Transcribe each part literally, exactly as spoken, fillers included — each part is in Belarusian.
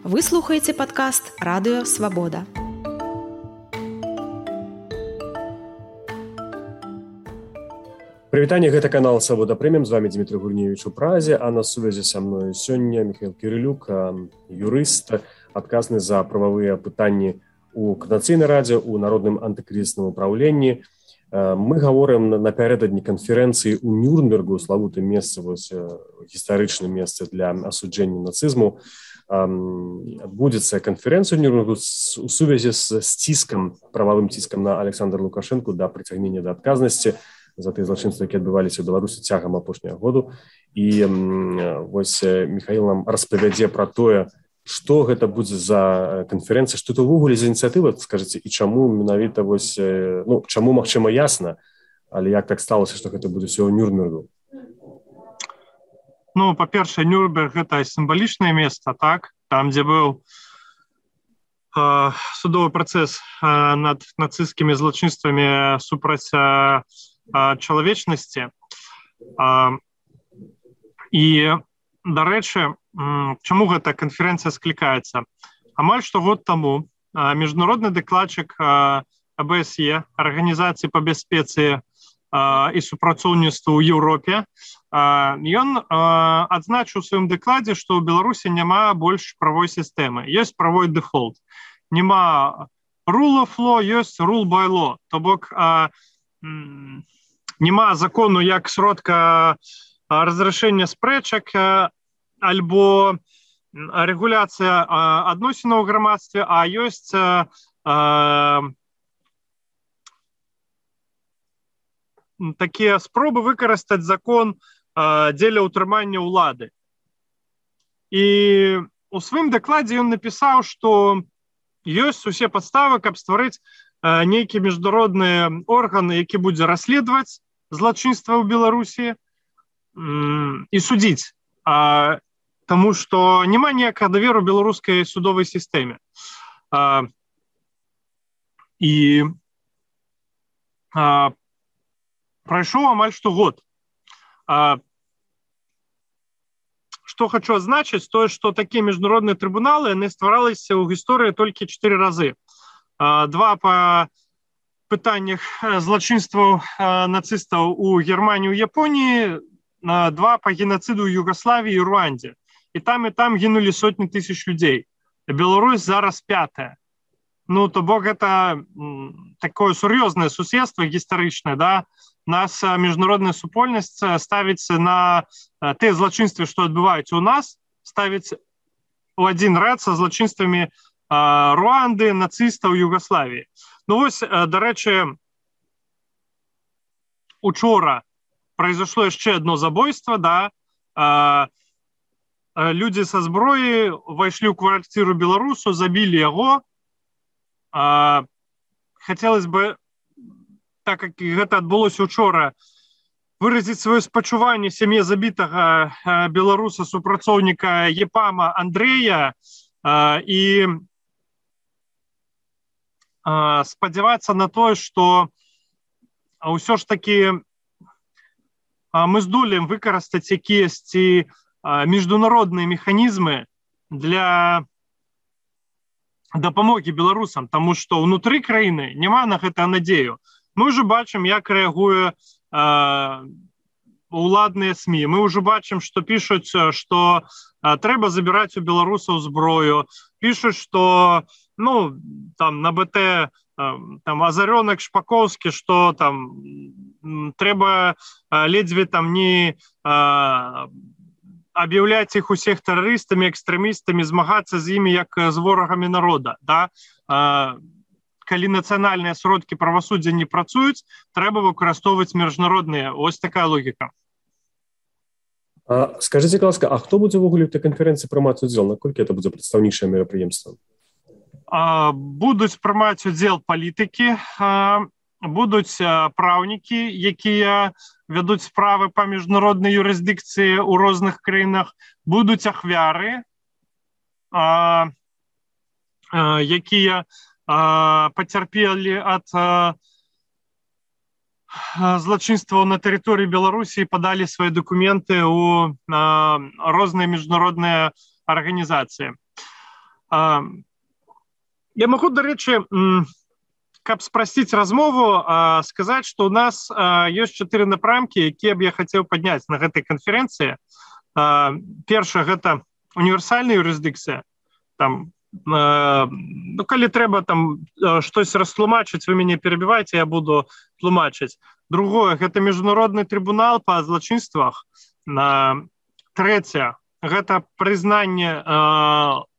Вы слухаеце падкаст Радыё Свабода. Прывітанне, гэта канал Свабода Прэміум, з вами Дмітрий Гурневич у Празе, а на сувязі са мною сёння Михаил Кирилюк, юрыст, адказны за прававыя пытанні у Координацыйнай радзе, у Народным антыкрызісным управленні. Мы гаворым напярэдадні канферэнцыі ў Нюрнбергу, славутым месцы, гістарычным месцы для асуджэння нацызму. Адбудзецца канферэнцыя ў Нюрнбергу у сувязі з сціскам, прававым ціскам на Александра Лукашэнку да прыцягнення да адказнасці за тыя злачынствы, якія адбываліся ў Беларусі цягам апошняга году. І вось Михаил нам распавядзе пра тое, што гэта будзе за канферэнцыя, што это ўвогуле за ініцыятыва, скажыце, і чаму менавіта вось, ну, чаму, магчыма, ясна, але як так сталася, што гэта будзе ўсё ў Нюрнбергу? Ну, па-першае, Нюрнберг — гэта сімвалічнае месца, так? Там, дзе быў э, судовы працэс э, над нацысцкімі злачынствамі супраць э, чалавечнасці. Э, і, дарэчы, чаму гэта канферэнцыя склікаецца? Амаль што год таму міжнародны дакладчык а бэ эс е, Арганізацыі па бяспецы і супрацоўніцтву ў Еўропе, ён адзначыў у сваім дакладзе, што ў Беларусі няма больш правой сістэмы. Ёсць правой дэфолт. Няма rule of law, ёсць rule by law. То бок няма закону як сродка разрашэння спрэчак альбо рэгуляцыя адносінаў у грамадстве, а ёсць а, такія спробы выкарыстаць закон а, дзеля ўтрымання ўлады. І у сваім дакладзе ён напісаў, што ёсць усе падставы, каб стварыць а, нейкі міжнародны орган, які будзе расследаваць злачынства ў Беларусі м, і судзіць. А, Таму што няма ніякага даверу беларускай судовай сістэме. А, і а, прайшоў амаль што год. А, што хачу адзначыць, тое, што такія міжнародныя трыбуналы, яны ствараліся ў гісторыі толькі чатыры разы. А, два па пытаннях злачынстваў нацыстаў у Германіі, у Японіі, два па геноциду ў Югославіі і Руандзе. І там, і там гінулі сотні тысяч людзей. Беларусь зараз пятая. Ну, то бок гэта м, такое сур'ёзнае суседства гістарычнае, да? Нас міжнародная супольнасць ставіць на тыя злачынствы, што адбываюцца ў нас, ставіць у адзін рад са злачынствамі а, Руанды, нацыстаў, Югославіі. Ну вось, дарэчы, учора произошло яшчэ одно забойство, да, а, а, люди со зброі вайшлі ў квартиру беларусу, забілі яго. А, хотелось бы, так как гэта адбылося учора, выразіць сваё спачуванне сям'і забітага а, беларуса, супрацоўніка Епама Андрэя, а, і а, спадзявацца на тое, што ўсё ж таки мы здолеем выкарыстаць якіясьці міжнародныя механізмы для дапамогі беларусам, таму што ўнутры краіны няма на гэта надзею. Мы ўжо бачым, як рэагуе уладныя СМІ. Мы ўжо бачым, што пішуць, што трэба забіраць у беларусаў зброю. Пішуць, што ну, там на БТ там Азарёнак, Шпакоўскі, што там трэба ледзьве там не а, аб'яўляць іх усіх тэрарыстамі, экстрэмістамі, змагацца з імі як з ворагамі народа. Да? А, калі нацыянальныя сродкі правасуддзя не працуюць, трэба выкарыстоўваць міжнародныя. Ось такая логіка. А, скажыце, ласка, а хто будзе ўвогуле ў той канферэнцыі прымаць удзел? Наколькі это будзе прадстаўнічае мерапрыемства? А, будуць прымаць удзел палітыкі, а, будуць праўнікі, якія вядуць справы па міжнароднай юрысдыкцыі ў розных краінах, будуць ахвяры, а, а, якія а, пацярпелі ад а, злачынстваў на тэрыторыі Беларусі і падалі свае дакументы ў а, розныя міжнародныя арганізацыі. Я могу, дарэчы, каб спрасціць размову, сказаць, што ў нас ёсць чатыры напрамкі, якія б я хацеў падняць на гэтай канферэнцыі. Першае, гэта універсальная юрысдыкцыя. Там, ну, калі трэба там штось растлумачыць, вы мяне перабівайце, я буду тлумачыць. Другое, гэта міжнародны трыбунал па злачынствах. Трэцяе, гэта прызнанне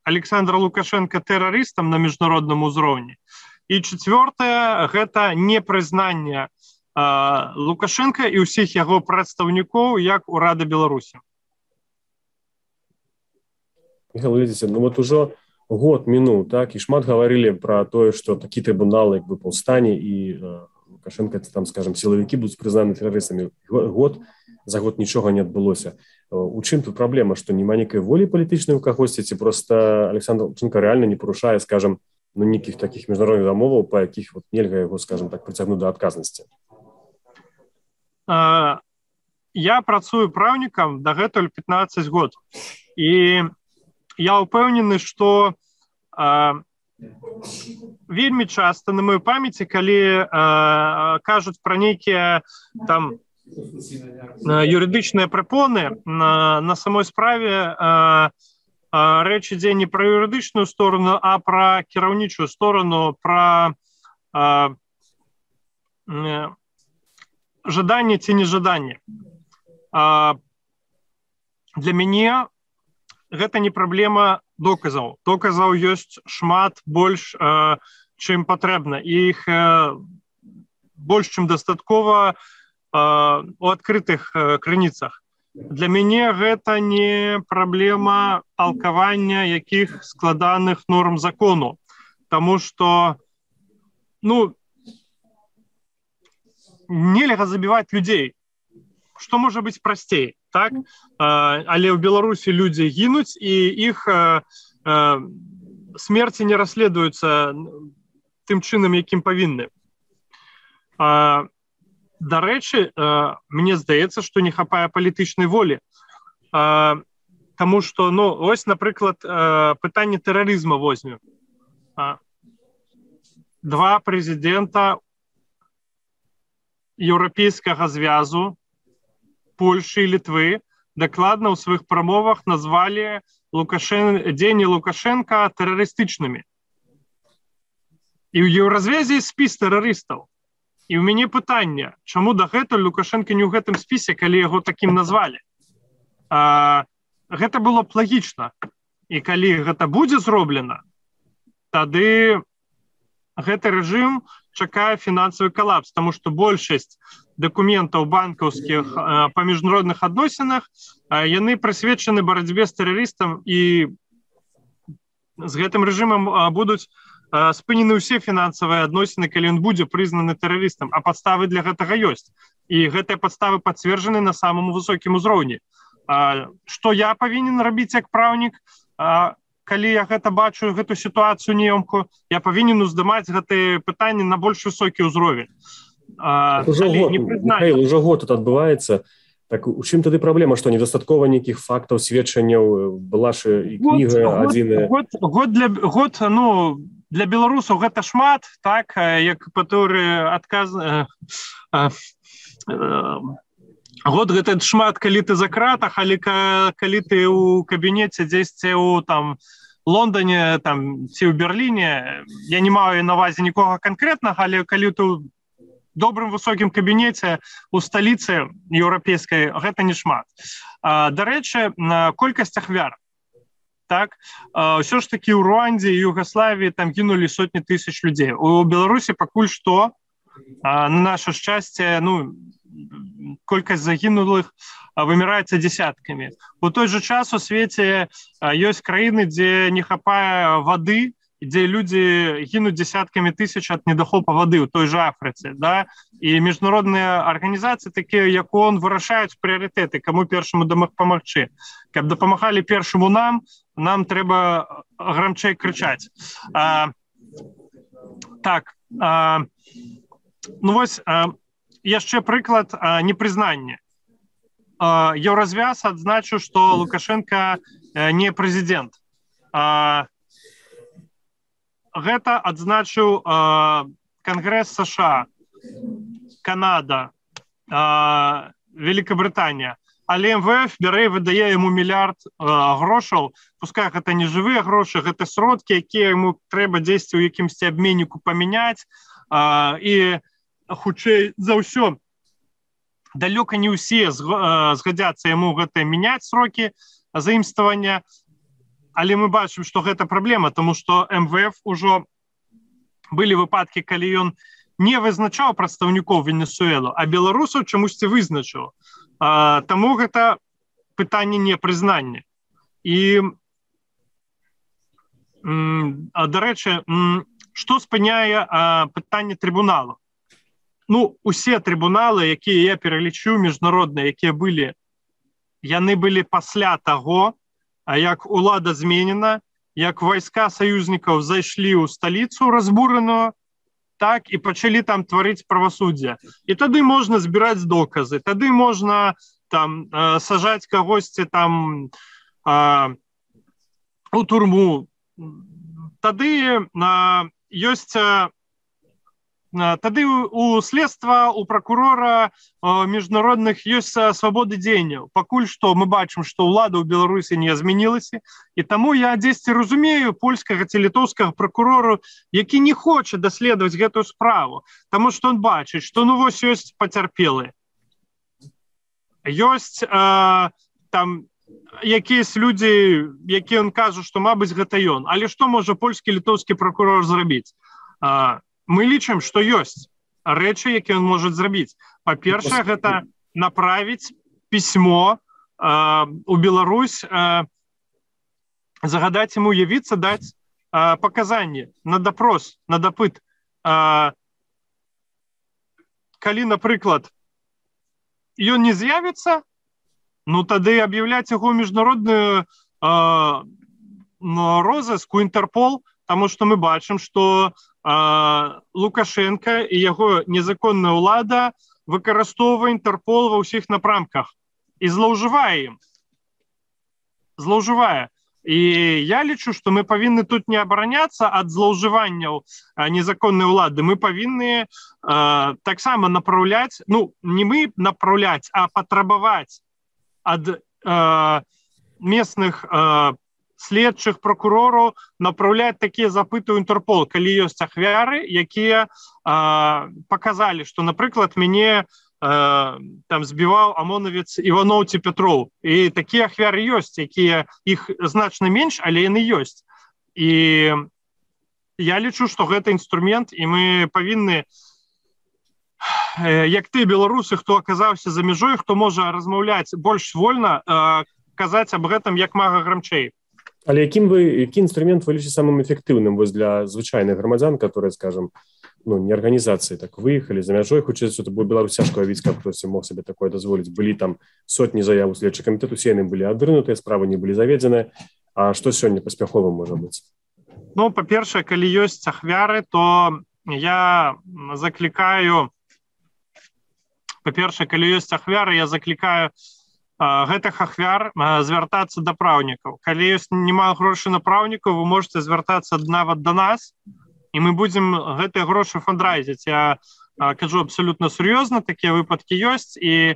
Александра Лукашенка тэрарыстам на міжнародным узроўні. І чацвёртае, гэта непрызнанне Лукашенка і ўсіх яго прадстаўнікоў як урада Беларусі. Михаил, видите, ну вот уже год минул, так, и шмат говорили про то, что такие трибуналы, как бы, повстане, и э, Лукашенко, там, скажем, силовики будут признаны террористами. Год, за год ничего не отбылось. У чым тут проблема, что нема некой воли политичной у кагосьці, ці просто Александр Лукашенко реально не порушае, скажем, ну, никаких таких международных домоваў, по якіх вот нельга его, скажем так, притягнуть до отказности? А, я працую правнікам дагэтуль пятнадцать год. І я упэўнены, што а, вельмі часта на маёй памяці, калі а, кажуць пра нейкія там юрыдычныя препоны, на, на самой справе а, а, рэч ідзе не пра юрыдычную сторону, а пра кіраўнічую сторону, пра а, жаданне ці нежаданне. А, для мяне гэта не праблема доказаў. Доказаў ёсць шмат больш, а, чым патрэбна. Іх а, больш, чым дастаткова у адкрытых крыніцах. Для мяне гэта не праблема толкавання якіх складаных норм закону, таму што, ну, нельга забіваць людзей. Што можа быць прасцей, так? Але ў Беларусі людзі гінуць, і іх смерці не расследуюцца тым чынам, якім павінны. Дарэчы, мне здаецца, што не хапае палітычнай волі. Таму што, ну, ось, напрыклад, пытанне тэрарызма возьмем. Два прэзідэнта Еўрапейскага звязу, Польшы і Літвы дакладна ў сваіх прамовах назвалі Лукашен... дзеянні Лукашенка тэрарыстычнымі. І ў Еўразвязе спіс тэрарыстаў. І ў мяне пытанне, чаму дагэтуль Лукашенко не ў гэтым спісе, калі яго такім назвалі? А, гэта было б лагічна. І калі гэта будзе зроблена, тады гэты рэжым чакае фінансавы калапс, таму што большасць дакументаў банкаўскіх а, па міжнародных адносінах а, яны прысвечаны барацьбе з тэрарыстам, і з гэтым рэжымам а, будуць спынены ўсе фінансавыя адносіны, калі ён будзе прызнаны тэрарыстам, а падставы для гэтага ёсць. І гэтыя падставы пацверджаны на самым высокім узроўні. А, што я павінен рабіць як праўнік, а, калі я гэта бачу, гэту сітуацыю неёмкую, я павінен уздымаць гэтыя пытанні на больш высокі ўзровень. А, уже год, Михаил, уже год тут адбываецца. Так у чым тады праблема, што недастаткова нейкіх фактаў, сведчанняў, была ж і кніга адзіная? Год, год, для, год, ну, для беларусаў гэта шмат, так, як паторы адказ... Год гэта шмат, калі ты за кратах, але калі ты ў кабінеце дзесьці ў там Лондоне, там, ці ў Берліне, я не маю на ўвазе нікога канкрэтнага, але калі ты ў добрым высокім кабінеце ў сталіцы еўрапейскай, гэта не шмат. Дарэчы, колькасць ахвяр. Так, ўсё ж такі ў Руандзе і Югаславіі там гінулі сотні тысяч людзей. У Беларусі пакуль што, на наше шчасце, ну, колькасць загінулых выміраецца дзесяткамі. У той жа час у свеце ёсць краіны, дзе не хапае вады, дзе людзі гінуць дзесяткамі тысяч ад недахопа вады, у той жа Афрыцы, да? І міжнародныя арганізацыі, такія як ООН, вырашаюць прыярытэты, каму першаму дапамагчы. Каб дапамагалі першаму нам, нам трэба грамчэй крычаць. А, так, а, ну вось, а, яшчэ прыклад а, непрызнання. А, Еўразвяз адзначыў, што Лукашенко а, не прэзідэнт. А, гэта адзначыў Кангрэс США, Канада, Великабрытанія. Але эм вэ эф бярэ і выдае яму мільярд грошаў, пускай гэта не жывыя грошы, гэта сродкі, якія яму трэба дзесьці ў якімсьці абменніку памяняць, і хутчэй за ўсё далёка не ўсе згадзяцца яму гэта мяняць срокі заімствавання, але мы бачым, што гэта праблема, таму што эм вэ эф ужо былі выпадкі, калі ён не вызначаў прадстаўнікоў Венесуэлу, а беларусаў чамусьці вызначыў. Таму гэта пытанне непрызнання. І, дарэчы, што спыняе пытанне трыбуналу? Ну, усе трыбуналы, якія я пералічыў, міжнародныя, якія былі, яны былі пасля таго, як улада зменена, як вайска саюзнікаў зайшлі ў сталіцу разбураную, так і пачалі там тварыць правасуддзе. І тады можна збіраць доказы, тады можна там сажаць кагосьці там у турму. Тады ёсць тады у следства, у прокурора міжнародных ёсць свабоды дзеянняў. Пакуль што мы бачым, што ўлада ў Беларусі не змянілася, і таму я дзесьці разумею польскага ці літоўскага прокурору, які не хоча даследаваць гэтую справу, таму што он бачыць, што ну вось ёсць пацярпелыя. Ёсць э, там якісь людзі, якія он кажа, што мабыць гэта ён. Але што можа польскі літоўскі прокурор зрабіць? Э, Мы лічым, што ёсць рэчы, якія ён можа зрабіць. Па-першае, гэта направіць пісьмо э, у Беларусь, э, загадаць яму явіцца, даць э, паказанні на допрос, на дапыт. Э, калі, напрыклад, ён не з'явіцца, ну тады аб'яўляць яго міжнародную э, розыск у Інтэрпол, таму што мы бачым, што Лукашенко і яго незаконная ўлада выкарыстоўвае Інтэрпол ва ўсіх напрамках і злоўжывае ім. Злоўжывае. І я лічу, што мы павінны тут не абараняцца ад злоўжыванняў незаконнай улады. Мы павінны э, таксама направляць, ну, не мы направляць, а патрабаваць ад э, местных э, следчых прокурораў направляць такія запыты ў Інтэрпол, калі ёсць ахвяры, якія э, паказалі, што, напрыклад, мяне э, там збіваў амонавец Іваноў ці Пятроў. І такія ахвяры ёсць, якія іх значна менш, але яны ёсць. І я лічу, што гэта інструмент, і мы павінны, э, як ты, беларусы, хто аказаўся за мяжой, хто можа размаўляць больш вольна, э, казаць аб гэтым як мага грамчэй. Але якім вы, які інструмент вы лічыце самым эфектыўным вось для звычайных грамадзян, которые, скажем, ну, не арганізацыі так выехалі за мяжой, хутчэй за ўсё, бо Беларусь цяжка ўявіць, каб хтосьці мог сабе такое дазволіць. Былі там сотні заяў у следчы камітэт, усе яны былі адрынутыя, справы не былі заведзеныя. А што сёння паспяховым можа быць? Ну, па-першае, калі ёсць ахвяры, то я заклікаю, па-першае, калі ёсць ахвяры, я заклікаю гэтых ахвяр звяртацца да праўнікаў. Калі ёсць няма грошай на праўнікаў, вы можете звяртацца нават да нас, і мы будзем гэтыя грошы фандрайзіць. Я кажу абсолютно сур'ёзна, такія выпадкі ёсць, і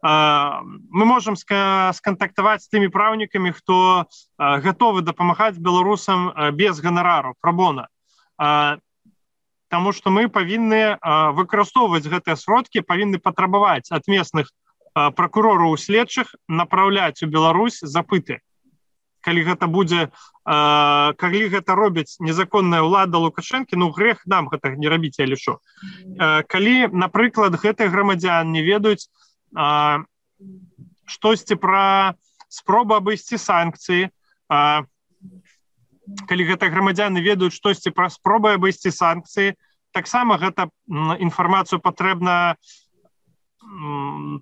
мы можам скантактаваць з тымі праўнікамі, хто гатовы дапамагаць беларусам без ганарару, пра-бона. Таму што мы павінны выкарыстоўваць гэтыя сродкі, павінны патрабаваць ад местных прокурораў следчых направляць у Беларусь запыты. Калі гэта будзе, калі гэта робіць незаконная ўлада Лукашэнкі, ну грэх нам гэта не рабіць, я лічу. Калі, напрыклад, гэтыя грамадзян не ведаюць штосьці пра спробу абысці санкцыі, калі гэтыя грамадзяны ведаюць штосьці пра спробы абысці санкцыі, таксама гэта інфармацыю патрэбна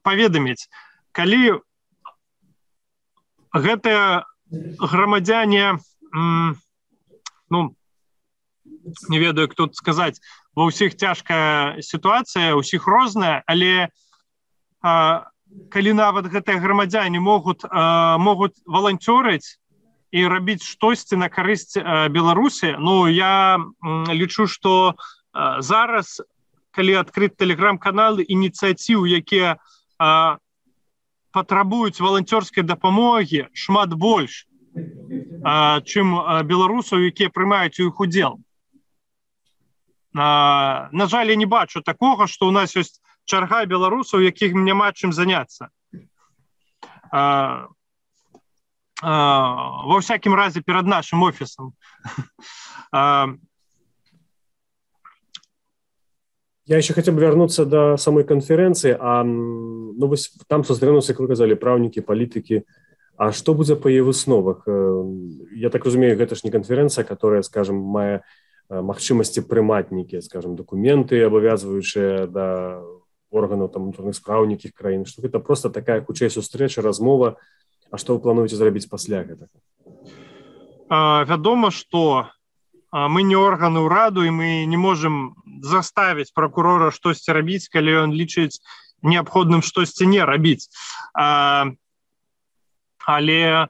паведаміць. Калі гэтыя грамадзяне, ну, не ведаю, як тут сказаць, ва ўсіх цяжкая сітуацыя, ўсіх розная, але а, калі нават гэтыя грамадзяне могуць, а, могуць валанцёрыць і рабіць штосьці на карысць Беларусі. Ну, я лічу, што зараз, калі адкрыць тэлеграм-каналы ініцыятыў, якія патрабуюць валанцёрскай дапамогі, шмат больш, чым беларусаў, якія прымаюць у іх удзел. На жаль, я не бачу такога, што ў нас ёсць чарга беларусаў, якіх няма чым заняцца. Во всякім разе перад нашим офісам. Я еще хотел бы вернуться до самой конференции. А, ну, вы, там сустрэнуцца, як вы казалі, праўнікі, палітыкі. А што будзе па яе высновах? Я так разумею, гэта ж не конференция, которая, скажем, мае магчымасці прымаць нейкія, скажем, документы, абавязваючыя да органаў там унутраных спраў нейкіх краін. Што гэта просто такая хутчэй сустрэча, размова. А што вы плануеце зрабіць пасля гэтага? Вядома, што мы не органы ўраду, і мы не можам заставіць прокурора штосьці рабіць, калі ён лічыць неабходным штосьці не рабіць. Але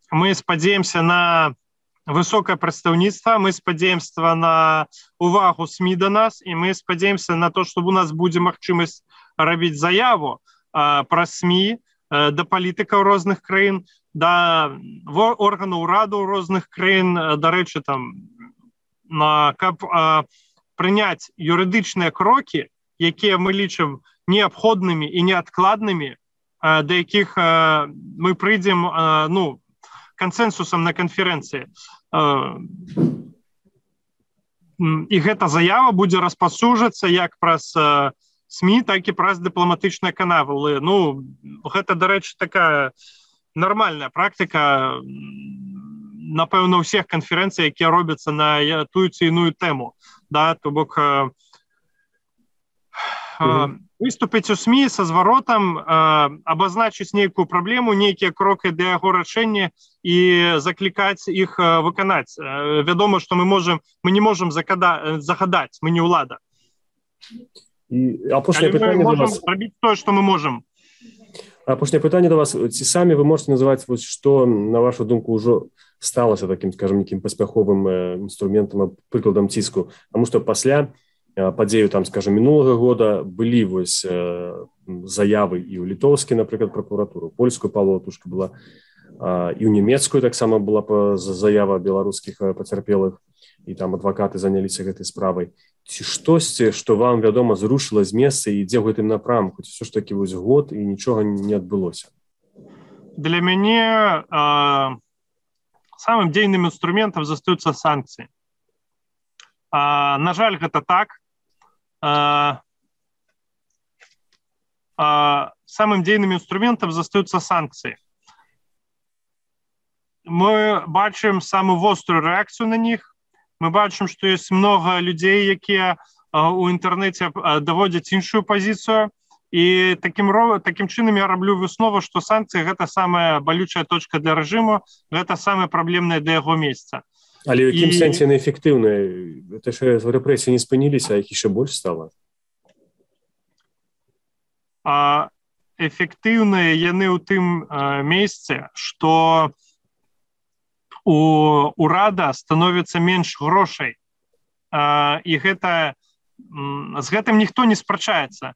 мы спадзеемся на высокае прадстаўніцтва, мы спадзеемся на увагу СМІ да нас, і мы спадзеемся на то, што у нас будзе магчымасць рабіць заяву праз СМІ да палітыкаў розных краін, да органаў ураду розных краін, дарэчы, там, каб прыняць юрыдычныя крокі, якія мы лічым неабходнымі і неадкладнымі, да якіх мы прыйдзем, ну, кансенсусам на канферэнцыі. І гэта заява будзе распаўсюджвацца як праз СМІ, так і праз дыпламатычныя каналы. Ну, гэта, дарэчы, такая нармальная практыка, напэўна, ўсіх канферэнцый, якія робяцца на тую ці іную тэму. Да? То бок mm-hmm. выступіць у СМІ са зваротам, абазначыць нейкую праблему, нейкія крокі для яго рашэння і заклікаць іх выканаць. Вядома, што мы можам, мы не можам загадаць, мы не ўлада. І апошняе пытанне до вас. Рабіць тое, што мы можам. Апошняе пытанне до вас. Ці самі вы можете называць, вось, што, на вашу думку, ўжо сталася такім, скажем, некім паспяховым інструментам, прыкладам ціску? Таму што пасля падзею, там, скажем, минулага года былі вось заявы і ў літоўскі, напрыклад, прокуратуру, польскую палатушка была, і ў нямецкую таксама была заява беларускіх пацярпелых, і там адвакаты заняліся гэтай справай. Ці штосьці, што вам, вядома, зрушыла з месца і ідзе ў гэтым напрамку, ці ўсё ж такі вось год і нічога не адбылося? Для мяне э, самым дзейным інструментам застаюцца санкцыі. Э, на жаль, гэта так. Э, э, самым дзейным інструментам застаюцца санкцыі. Мы бачым самую вострую рэакцыю на них. Мы бачым, што ёсць многа людзей, якія у інтэрнэце даводзяць іншую пазіцыю. І такім, такім чынам я раблю выснову, што санкцыі гэта самая балючая точка для рэжыму, гэта самае праблемнае для яго месца. Але ў якім і... сэнсе неэфектыўныя? Гэта ж рэпрэсіі не спыніліся, а іх яшчэ больш стала? А, эфектыўныя яны ў тым а, месцы, што у урада становіцца менш грошай. А, і гэта, з гэтым ніхто не спрачаецца.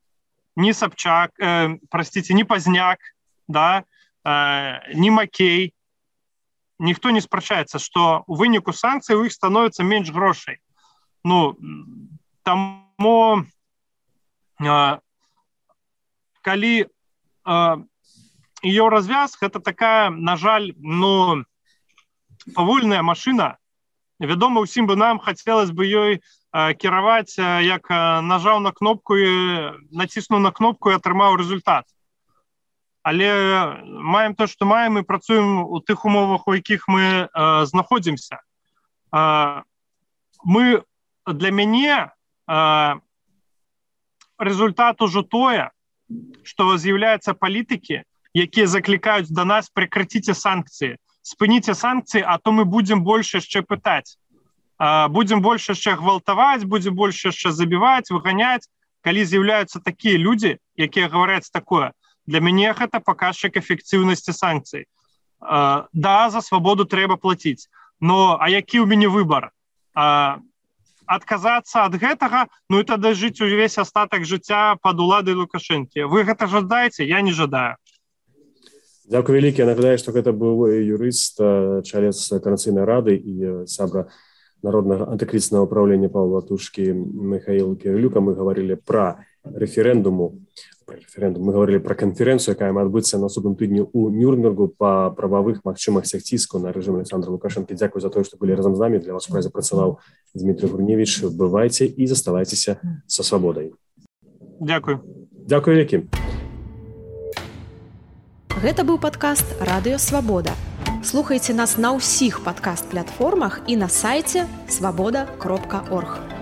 Ні Сабчак, э, простите, ні Пазняк, да, э, ні Макей. Ніхто не спрачаецца, што у выніку санкцый у іх становіцца менш грошай. Ну, таму э, калі э, еўразвяз, гэта такая, на жаль, ну, павольная машына. Вядома, усім бы нам хацелось бы ёй э, кіраваць, э, як э, нажаў на кнопку і націснуў на кнопку і атрымаў результат. Але маем то, што маем, і працуем у тых умовах, у якіх мы э, знаходзімся. Э, мы, для мяне э, результат ужо тое, што з'яўляюцца палітыкі, якія заклікаюць да нас: прекратіце санкцыі. Спыніце санкцыі, а то мы будзем больш яшчэ пытаць. Будзем больш яшчэ гвалтаваць, будзем больш яшчэ забіваць, выганяць. Калі з'яўляюцца такія людзі, якія гаваряць такое, для мяне гэта паказчык эфектыўнасці санкцый. да, за свабоду трэба плаціць. Но а які ў мяне выбар? Адказацца ад гэтага, ну і тады жыць увесь астатак жыцця пад уладай Лукашэнкі. Вы гэта жадаеце? Я не жадаю. Дзякуй вялікі. Я нагадаю, што гэта быў юрыст, чалец Канацыйнай рады і сябра Народнага антыкрызіснага ўпраўлення Павла Латушкі Михаіл Кірылюка. Мы гаварылі пра рэферэндуму. Пра рэферэндум. Мы гаварылі пра канферэнцыю, якая мае адбыцца на наступным тыдні ў Нюрнбергу па прававых магчымасцях ціску на рэжым Александра Лукашэнкі. Дзякуй за тое, што былі разам з намі. Для вас у празе працаваў Дмітрий Гурневіч. Бывайце і заставайцеся са свабодай. Дзякуй. Дзякуй вялікі. Гэта быў падкаст «Радыё Свабода». Слухайце нас на ўсіх падкаст-платформах і на сайце свабода кропка орг.